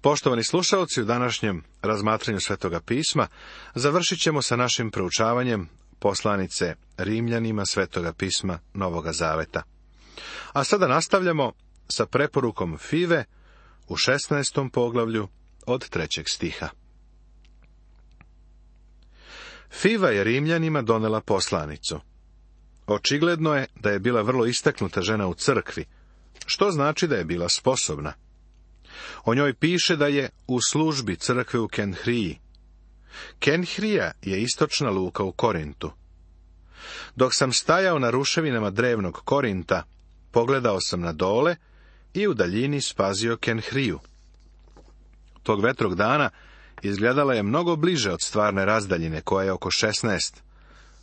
Poštovani slušalci, u današnjem razmatranju Svetoga pisma završit ćemo sa našim proučavanjem poslanice Rimljanima Svetoga pisma Novoga Zaveta. A sada nastavljamo sa preporukom Five u 16. poglavlju od 3. stiha. Fiva je Rimljanima donela poslanicu. Očigledno je da je bila vrlo istaknuta žena u crkvi, što znači da je bila sposobna. O njoj piše da je u službi crkve u Kenhriji. Kenhrija je istočna luka u Korintu. Dok sam stajao na ruševinama drevnog Korinta, pogledao sam na dole i u daljini spazio Kenhriju. Tog vetrog dana izgledala je mnogo bliže od stvarne razdaljine, koja je oko 16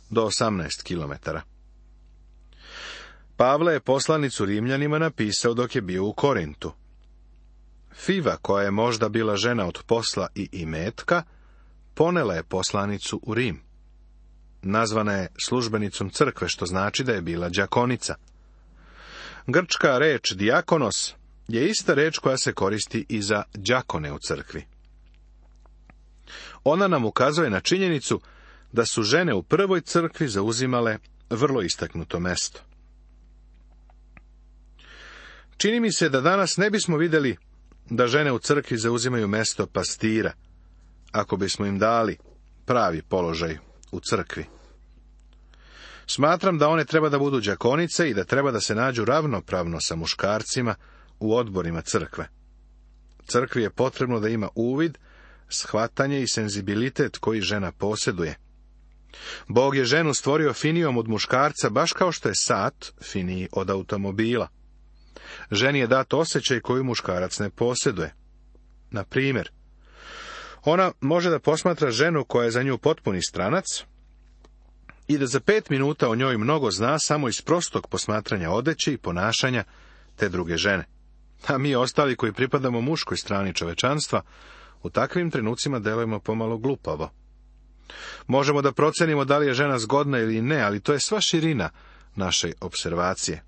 do 18 kilometara. Pavle je poslanicu Rimljanima napisao dok je bio u Korintu. Fiva, koja je možda bila žena od posla i imetka, ponela je poslanicu u Rim. Nazvana je službenicom crkve, što znači da je bila đakonica. Grčka reč dijakonos je ista reč koja se koristi i za đakone u crkvi. Ona nam ukazuje na činjenicu da su žene u prvoj crkvi zauzimale vrlo istaknuto mesto. Čini mi se da danas ne bismo vidjeli da žene u crkvi zauzimaju mesto pastira, ako bismo im dali pravi položaj u crkvi. Smatram da one treba da budu đakonice i da treba da se nađu ravnopravno sa muškarcima u odborima crkve. Crkvi je potrebno da ima uvid, shvatanje i senzibilitet koji žena posjeduje. Bog je ženu stvorio finijom od muškarca, baš kao što je sat finiji od automobila. Ženi je dat osjećaj koji muškarac ne posjeduje. Na primjer, ona može da posmatra ženu koja je za nju potpuni stranac i da za 5 minuta o njoj mnogo zna samo iz prostog posmatranja odeće i ponašanja te druge žene. A mi ostali koji pripadamo muškoj strani čovečanstva, u takvim trenucima delujemo pomalo glupavo. Možemo da procenimo da li je žena zgodna ili ne, ali to je sva širina naše observacije.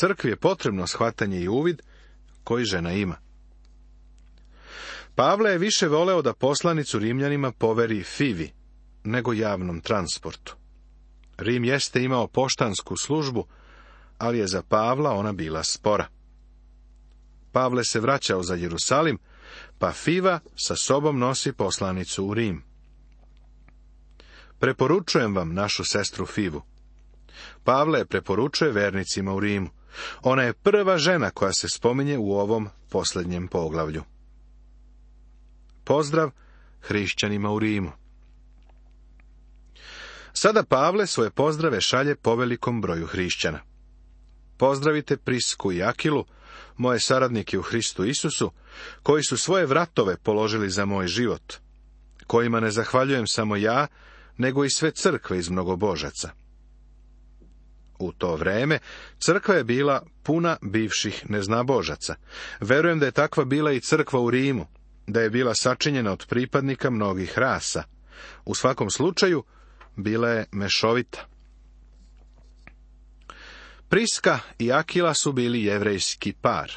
Crkvi je potrebno shvatanje i uvid koji žena ima. Pavle je više voleo da poslanicu Rimljanima poveri Fivi nego javnom transportu. Rim jeste imao poštansku službu, ali je za Pavla ona bila spora. Pavle se vraćao za Jerusalim, pa Fiva sa sobom nosi poslanicu u Rim. Preporučujem vam našu sestru Fivu. Pavle je preporučuje vernicima u Rimu. Ona je prva žena koja se spominje u ovom posljednjem poglavlju. Pozdrav hrišćanima u Rimu. Sada Pavle svoje pozdrave šalje povelikom broju hrišćana. Pozdravite Prisku i Akilu, moje saradnike u Hristu Isusu, koji su svoje vratove položili za moj život, kojima ne zahvaljujem samo ja, nego i sve crkve iz mnogobožaca. U to vreme crkva je bila puna bivših neznabožaca. Verujem da je takva bila i crkva u Rimu, da je bila sačinjena od pripadnika mnogih rasa. U svakom slučaju, bila je mešovita. Priska i Akila su bili jevrejski par.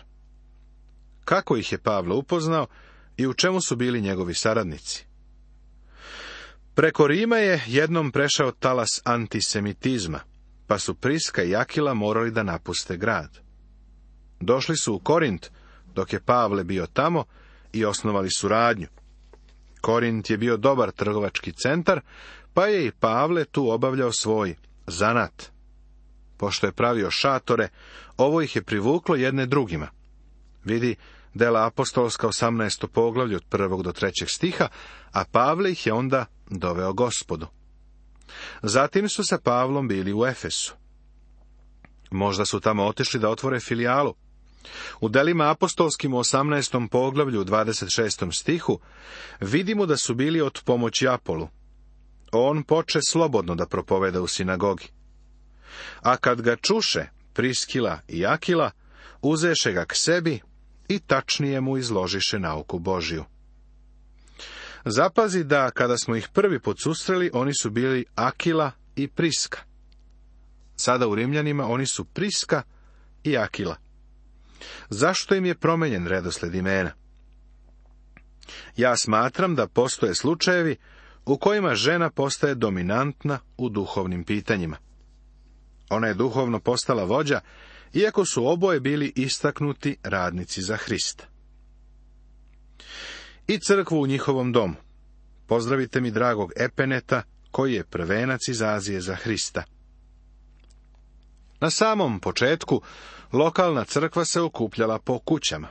Kako ih je Pavle upoznao i u čemu su bili njegovi saradnici? Preko Rima je jednom prešao talas antisemitizma, pa su Priska i Akila morali da napuste grad. Došli su u Korint, dok je Pavle bio tamo, i osnovali suradnju. Korint je bio dobar trgovački centar, pa je i Pavle tu obavljao svoj zanat. Pošto je pravio šatore, ovo ih je privuklo jedne drugima. Vidi Dela apostolska 18. poglavlje od 1. do 3. stiha, a Pavle ih je onda doveo Gospodu. Zatim su sa Pavlom bili u Efesu. Možda su tamo otišli da otvore filijalu. U Delima apostolskim u 18. poglavlju u 26. stihu vidimo da su bili od pomoći Apolu. On poče slobodno da propoveda u sinagogi. A kad ga čuše Priskila i Akila, uzeše ga k sebi i tačnije mu izložiše nauku Božju. Zapazi da kada smo ih prvi put susreli, oni su bili Akila i Priska. Sada u Rimljanima oni su Priska i Akila. Zašto im je promenjen redosled imena? Ja smatram da postoje slučajevi u kojima žena postaje dominantna u duhovnim pitanjima. Ona je duhovno postala vođa, iako su oboje bili istaknuti radnici za Hrista. I crkvu u njihovom domu. Pozdravite mi dragog Epeneta, koji je prvenac iz Azije za Hrista. Na samom početku, lokalna crkva se okupljala po kućama.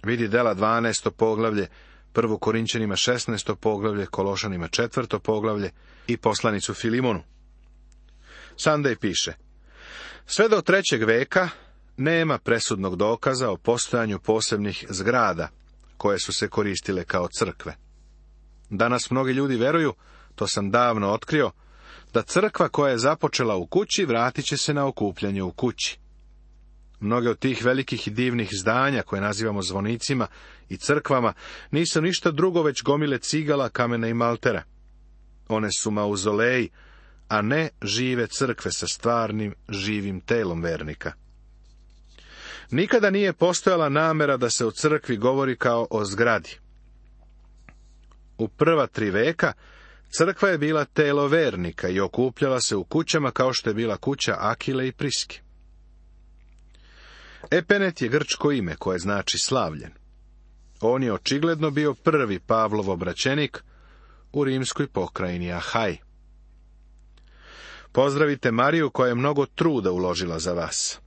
Vidi Dela 12. poglavlje, 1. Korinćanima 16. poglavlje, Kološanima 4. poglavlje i poslanicu Filimonu. Sandej piše: sve do 3. veka nema presudnog dokaza o postojanju posebnih zgrada, koje su se koristile kao crkve. Danas mnogi ljudi veruju, to sam davno otkrio, da crkva koja je započela u kući vratit će se na okupljanje u kući. Mnoge od tih velikih i divnih zdanja, koje nazivamo zvonicima i crkvama, nisu ništa drugo već gomile cigala, kamena i maltera. One su mauzoleji, a ne žive crkve sa stvarnim, živim telom vernika. Nikada nije postojala namera da se o crkvi govori kao o zgradi. U prva 3 veka crkva je bila telo vernika i okupljala se u kućama kao što je bila kuća Akile i Priske. Epenet je grčko ime koje znači slavljen. On je očigledno bio prvi Pavlov obraćenik u rimskoj pokrajini Ahaj. Pozdravite Mariju koja je mnogo truda uložila za vas.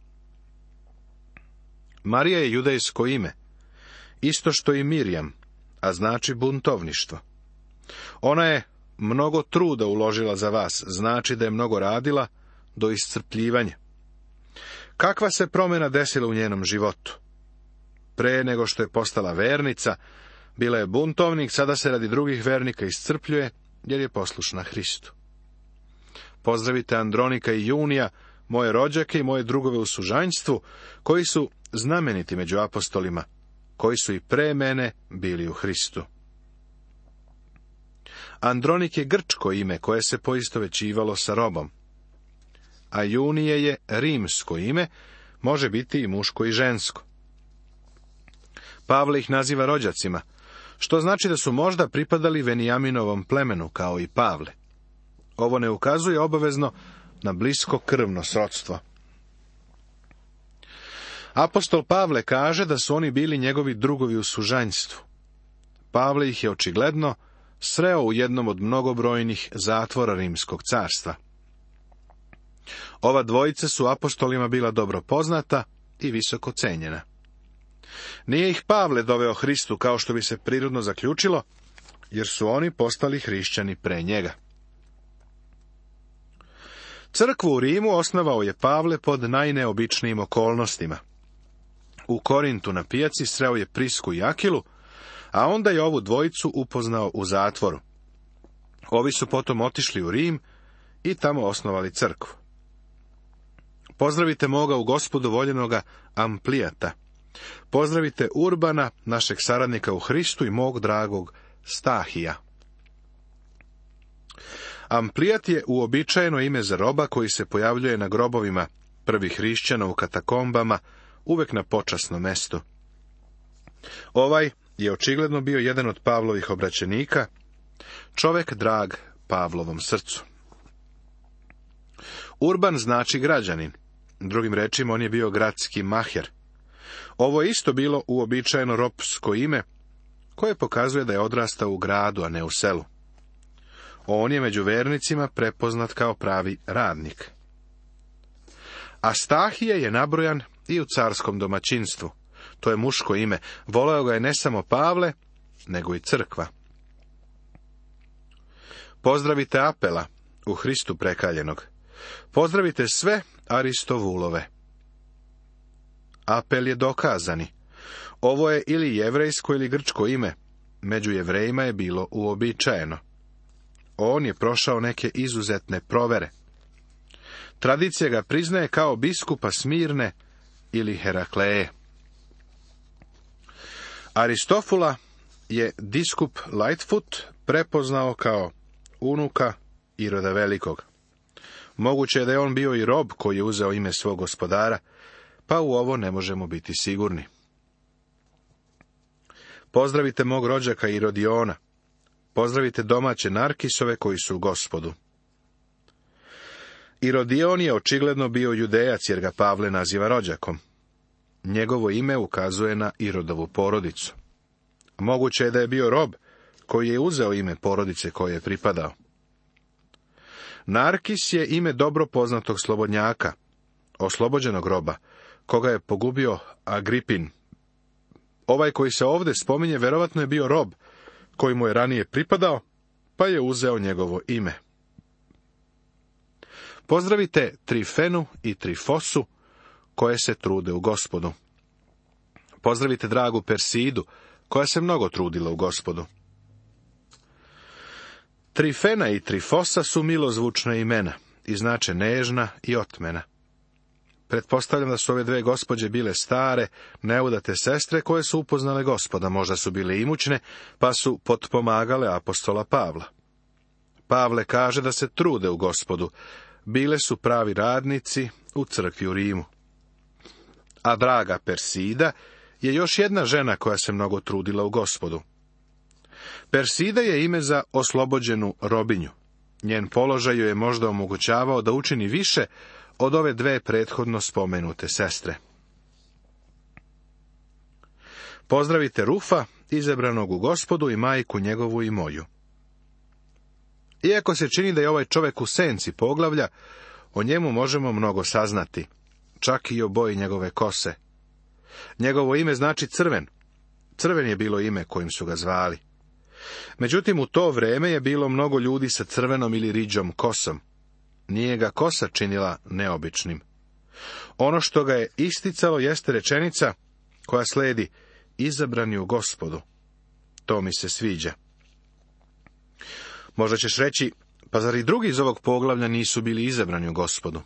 Marija je judejsko ime, isto što i Mirjam, a znači buntovništvo. Ona je mnogo truda uložila za vas, znači da je mnogo radila do iscrpljivanja. Kakva se promjena desila u njenom životu? Pre nego što je postala vernica, bila je buntovnik, sada se radi drugih vernika iscrpljuje, jer je poslušna Hristu. Pozdravite Andronika i Junija, moje rođake i moje drugove u sužanjstvu, koji su znameniti među apostolima, koji su i pre mene bili u Hristu. Andronik je grčko ime koje se poistovećivalo sa robom, a Junije je rimsko ime, može biti i muško i žensko. Pavle ih naziva rođacima, što znači da su možda pripadali Venijaminovom plemenu, kao i Pavle. Ovo ne ukazuje obavezno na blisko krvno srodstvo. Apostol Pavle kaže da su oni bili njegovi drugovi u sužanjstvu. Pavle ih je očigledno sreo u jednom od mnogobrojnih zatvora Rimskog carstva. Ova dvojica su apostolima bila dobro poznata i visoko cenjena. Nije ih Pavle doveo Hristu kao što bi se prirodno zaključilo, jer su oni postali hrišćani pre njega. Crkvu u Rimu osnovao je Pavle pod najneobičnijim okolnostima. U Korintu na pijaci sreo je Prisku i Akilu, a onda je ovu dvojicu upoznao u zatvoru. Ovi su potom otišli u Rim i tamo osnovali crkvu. Pozdravite moga u Gospodu voljenoga Amplijata. Pozdravite Urbana, našeg saradnika u Hristu, i mog dragog Stahija. Amplijat je uobičajeno ime za roba koji se pojavljuje na grobovima prvih hrišćana u katakombama, uvek na počasnom mestu. Ovaj je očigledno bio jedan od Pavlovih obraćenika, čovek drag Pavlovom srcu. Urban znači građanin, drugim rečima on je bio gradski maher. Ovo je isto bilo uobičajeno ropsko ime, koje pokazuje da je odrastao u gradu, a ne u selu. On je među vernicima prepoznat kao pravi radnik. Astahije je nabrojan i u carskom domaćinstvu. To je muško ime. Voleo ga je ne samo Pavle, nego i crkva. Pozdravite Apela, u Hristu prekaljenog. Pozdravite sve Aristovulove. Apel je dokazani. Ovo je ili jevrejsko ili grčko ime. Među Jevrejima je bilo uobičajeno. On je prošao neke izuzetne provere. Tradicija ga priznaje kao biskupa Smirne ili Herakleje. Aristofula je biskup Lightfoot prepoznao kao unuka Iroda Velikog. Moguće je da je on bio i rob koji je uzeo ime svog gospodara, pa u ovo ne možemo biti sigurni. Pozdravite mog rođaka Irodiona. Pozdravite domaće Narkisove koji su u Gospodu. Irodion je očigledno bio Judejac jer ga Pavle naziva rođakom. Njegovo ime ukazuje na Irodovu porodicu. Moguće je da je bio rob koji je uzeo ime porodice koje je pripadao. Narkis je ime dobro poznatog slobodnjaka, oslobođenog roba, koga je pogubio Agripin. Ovaj koji se ovdje spominje verovatno je bio rob koji mu je ranije pripadao, pa je uzeo njegovo ime. Pozdravite Trifenu i Trifosu, koje se trude u Gospodu. Pozdravite dragu Persidu, koja se mnogo trudila u Gospodu. Trifena i Trifosa su milozvučna imena i znače nežna i otmena. Pretpostavljam da su ove dve gospođe bile stare, neudate sestre koje su upoznale Gospoda, možda su bile imućne, pa su potpomagale apostola Pavla. Pavle kaže da se trude u Gospodu, bile su pravi radnici u crkvi u Rimu. A draga Persida je još jedna žena koja se mnogo trudila u Gospodu. Persida je ime za oslobođenu robinju. Njen položaj joj je možda omogućavao da učini više od ove dve prethodno spomenute sestre. Pozdravite Rufa, izabranog u Gospodu, i majku njegovu i moju. Iako se čini da je ovaj čovjek u senci poglavlja, o njemu možemo mnogo saznati, čak i o boji njegove kose. Njegovo ime znači crven. Crven je bilo ime kojim su ga zvali. Međutim, u to vrijeme je bilo mnogo ljudi sa crvenom ili riđom kosom. Nije ga kosa činila neobičnim. Ono što ga je isticalo jeste rečenica koja sledi: izabrani u Gospodu. To mi se sviđa. Možda ćeš reći, pa zar i drugi iz ovog poglavlja nisu bili izabrani u Gospodu?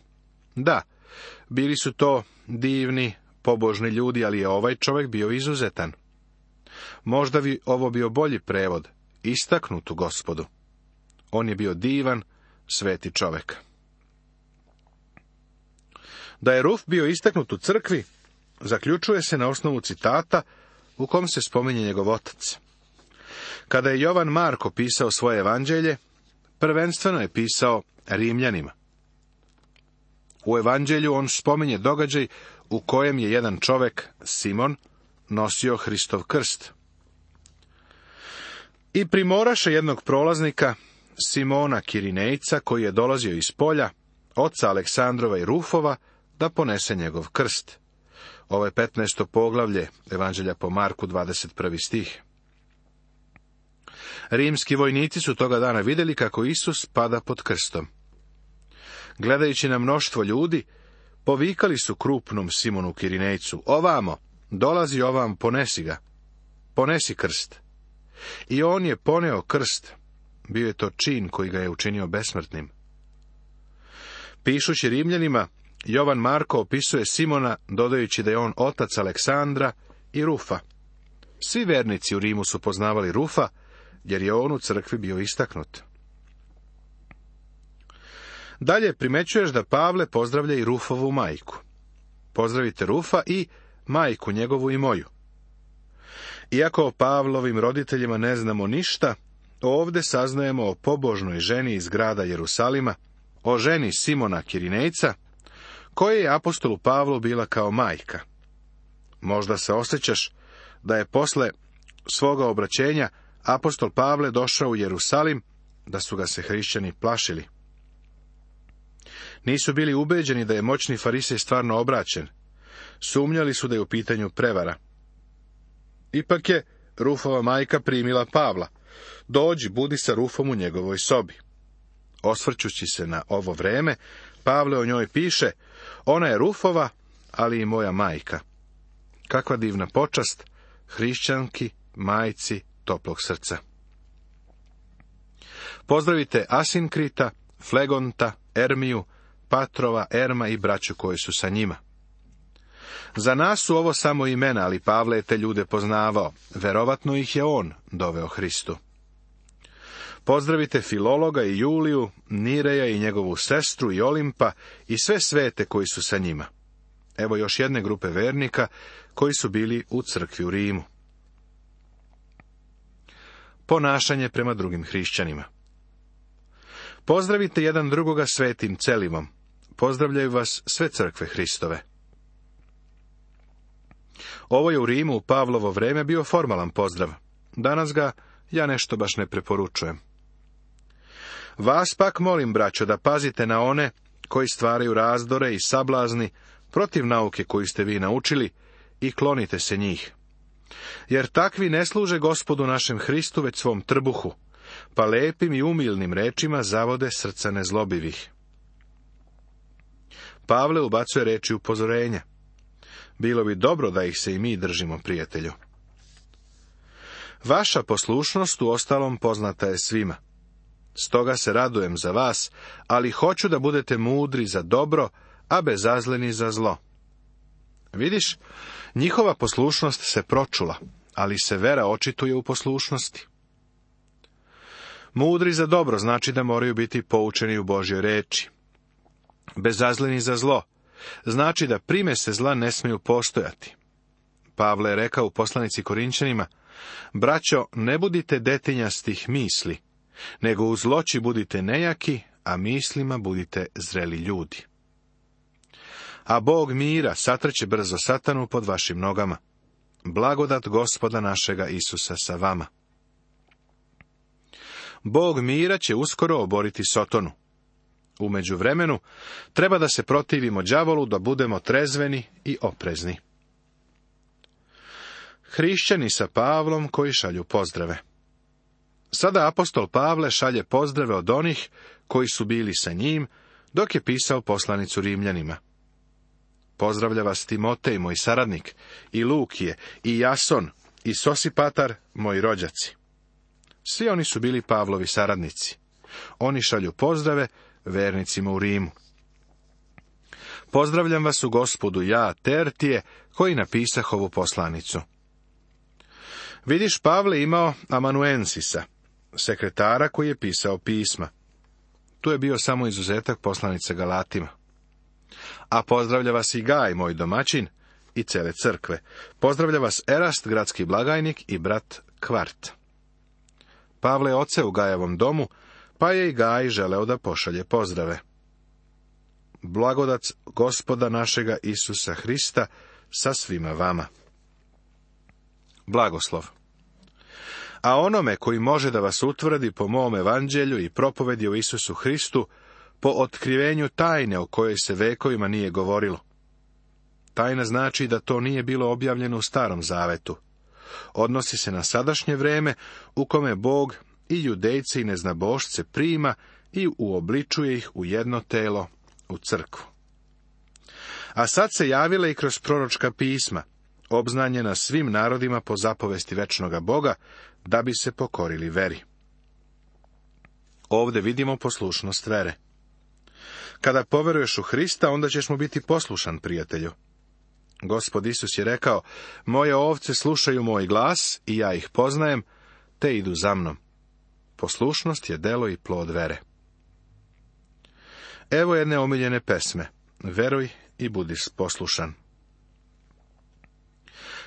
Da, bili su to divni, pobožni ljudi, ali je ovaj čovjek bio izuzetan. Možda bi ovo bio bolji prevod, istaknut u Gospodu. On je bio divan, sveti čovjek. Da je Ruf bio istaknut u crkvi, zaključuje se na osnovu citata u kom se spominje njegov otac. Kada je Jovan Marko pisao svoje evanđelje, prvenstveno je pisao Rimljanima. U evanđelju on spominje događaj u kojem je jedan čovjek, Simon, nosio Hristov krst. I primoraše jednog prolaznika, Simona Kirinejca, koji je dolazio iz polja, oca Aleksandrova i Rufova, da ponese njegov krst. Ovo je 15. poglavlje evanđelja po Marku, 21. stih. Rimski vojnici su toga dana vidjeli kako Isus pada pod krstom. Gledajući na mnoštvo ljudi, povikali su krupnom Simonu Kirinejcu: ovamo, dolazi ovam, ponesi ga, ponesi krst. I on je poneo krst. Bio je to čin koji ga je učinio besmrtnim. Pišući Rimljanima, Jovan Marko opisuje Simona dodajući da je on otac Aleksandra i Rufa. Svi vernici u Rimu su poznavali Rufa, jer je on u crkvi bio istaknut. Dalje primećuješ da Pavle pozdravlja i Rufovu majku. Pozdravite Rufa i majku njegovu i moju. Iako o Pavlovim roditeljima ne znamo ništa, ovdje saznajemo o pobožnoj ženi iz grada Jerusalima, o ženi Simona Kirinejca, koja je apostolu Pavlu bila kao majka. Možda se osjećaš da je posle svoga obraćenja apostol Pavle došao u Jerusalim, da su ga se hrišćani plašili. Nisu bili ubeđeni da je moćni farisej stvarno obraćen. Sumnjali su da je u pitanju prevara. Ipak je Rufova majka primila Pavla. Dođi, budi sa Rufom u njegovoj sobi. Osvrćući se na ovo vreme, Pavle o njoj piše: ona je Rufova, ali i moja majka. Kakva divna počast hrišćanki, majci toplog srca. Pozdravite Asinkrita, Flegonta, Ermiju, Patrova, Erma i braću koji su sa njima. Za nas su ovo samo imena, ali Pavle je te ljude poznavao. Verovatno ih je on doveo Hristu. Pozdravite Filologa i Juliju, Nireja i njegovu sestru i Olimpa i sve svete koji su sa njima. Evo još jedne grupe vernika koji su bili u crkvi u Rimu. ponašanje prema drugim hrišćanima. Pozdravite jedan drugoga svetim celivom. Pozdravljaju vas sve crkve Hristove. Ovo je u Rimu u Pavlovo vreme bio formalan pozdrav. Danas ga ja nešto baš ne preporučujem. Vas pak molim, braćo, da pazite na one koji stvaraju razdore i sablazni protiv nauke koju ste vi naučili i klonite se njih. Jer takvi ne služe Gospodu našem Hristu, već svom trbuhu, pa lepim i umilnim rečima zavode srca nezlobivih. Pavle ubacuje reči upozorenja. Bilo bi dobro da ih se i mi držimo, prijatelju. Vaša poslušnost uostalom poznata je svima. Stoga se radujem za vas, ali hoću da budete mudri za dobro, a bezazleni za zlo. Vidiš, njihova poslušnost se pročula, ali se vera očituje u poslušnosti. Mudri za dobro znači da moraju biti poučeni u Božjoj reči. Bezazleni za zlo znači da primese zla ne smiju postojati. Pavle je rekao u poslanici Korinćanima: braćo, ne budite detinjastih misli, nego u zloći budite nejaki, a mislima budite zreli ljudi. A Bog mira satrće brzo satanu pod vašim nogama. Blagodat Gospoda našega Isusa sa vama. Bog mira će uskoro oboriti Sotonu. U međuvremenu treba da se protivimo đavolu, da budemo trezveni i oprezni. Hrišćani sa Pavlom koji šalju pozdrave. Sada apostol Pavle šalje pozdrave od onih koji su bili sa njim dok je pisao poslanicu Rimljanima. Pozdravlja vas Timotej, moj saradnik, i Lukije, i Jason, i Sosipatar, moji rođaci. Svi oni su bili Pavlovi saradnici. Oni šalju pozdrave vernicima u Rimu. Pozdravljam vas u Gospodu, ja, Tertije, koji napisah ovu poslanicu. Vidiš, Pavle imao amanuensisa, sekretara koji je pisao pisma. Tu je bio samo izuzetak poslanice Galatima. A pozdravlja vas i Gaj, moj domaćin, i cele crkve. Pozdravlja vas Erast, gradski blagajnik, i brat Kvart. Pavle je oce u Gajevom domu, pa je i Gaj želeo da pošalje pozdrave. Blagodat Gospoda našega Isusa Hrista sa svima vama. Blagoslov. A onome koji može da vas utvrdi po mom evanđelju i propovedi o Isusu Hristu, po otkrivenju tajne o kojoj se vekovima nije govorilo. Tajna znači da to nije bilo objavljeno u Starom Zavetu. Odnosi se na sadašnje vreme u kome Bog i judejce i neznabošce prima i uobličuje ih u jedno telo, u crkvu. A sad se javila i kroz proročka pisma, obznanjena svim narodima po zapovesti večnoga Boga, da bi se pokorili veri. Ovdje vidimo poslušnost vere. Kada poveruješ u Hrista, onda ćeš mu biti poslušan, prijatelju. Gospod Isus je rekao: moje ovce slušaju moj glas i ja ih poznajem, te idu za mnom. Poslušnost je delo i plod vere. Evo jedne omiljene pesme. Veruj i budi poslušan.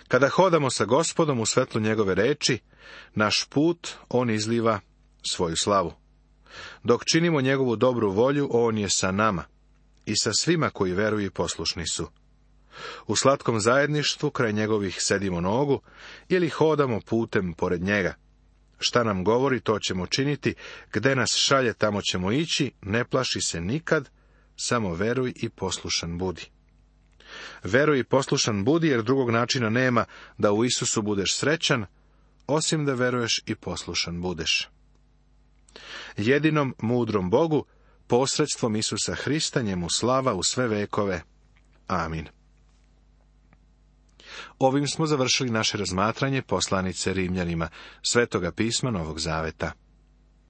Kada hodamo sa Gospodom u svetlu njegove reči, naš put on izliva svoju slavu. Dok činimo njegovu dobru volju, on je sa nama i sa svima koji veruju i poslušni su. U slatkom zajedništvu kraj njegovih sedimo nogu ili hodamo putem pored njega. Šta nam govori, to ćemo činiti, gde nas šalje, tamo ćemo ići, ne plaši se nikad, samo veruj i poslušan budi. Veruj i poslušan budi, jer drugog načina nema da u Isusu budeš srećan, osim da veruješ i poslušan budeš. Jedinom mudrom Bogu, posredstvom Isusa Hrista, njemu slava u sve vekove. Amin. Ovim smo završili naše razmatranje poslanice Rimljanima, Svetoga pisma Novog Zaveta.